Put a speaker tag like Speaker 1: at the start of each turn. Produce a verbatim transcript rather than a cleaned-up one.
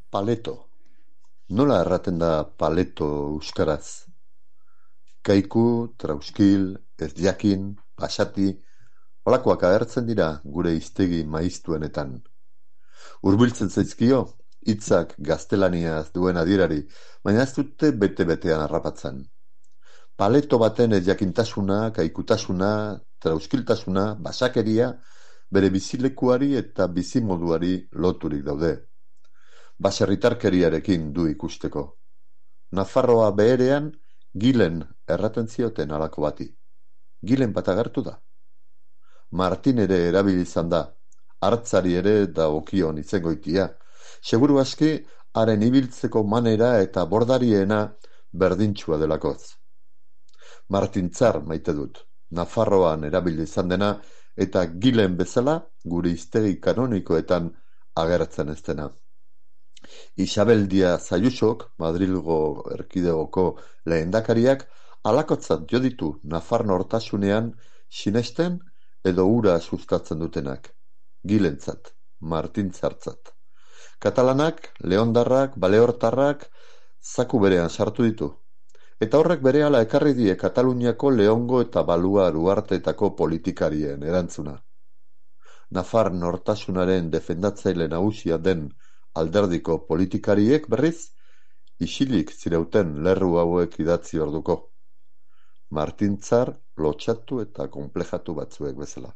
Speaker 1: Paleto. Nola erraten da paleto euskaraz? Kaiku, trauskil, ez jakin, pasati, holakoak agertzen dira gure hiztegi maiztuenetan. Hurbiltzen zaizkio, hitzak gaztelaniaz duen adierari, baina ez dute bete-betean harrapatzen. Paleto baten ez jakintasuna, kaikutasuna, trauskiltasuna, basakeria, bere bizilekuari eta bizimoduari loturik daude. Baserritarkeriarekin du ikusteko. Nafarroa beherean, Gilen erraten zioten halako bati. Gilen bat agertu da. Martin ere erabili izan da, hartzari ere dagokion itzengoitia. Seguru aski, haren ibiltzeko manera eta bordariena berdintxua delakoz. Martintzar maite dut, Nafarroan erabili izan dena, eta Gilen bezala gure hiztegi kanonikoetan agertzen ez dena. Isabel Díaz Ayusok, Madrilgo erkidegoko lehendakariak, halakotzat jo ditu Nafar nortasunean sinesten edo hura sustatzen dutenak. Gilentzat, Martintzartzat. Katalanak, leondarrak, baleortarrak zaku berean sartu ditu. Eta horrek berehala ekarri die Kataluniako Leongo eta Baluar uharteetako politikarien erantzuna. Nafar nortasunaren defendatzaile nagusia den alderdiko politikariek berriz, isilik zireuten lerru hauek idatzi orduko. Martintzar lotsatu eta konplejatu batzuek bezala.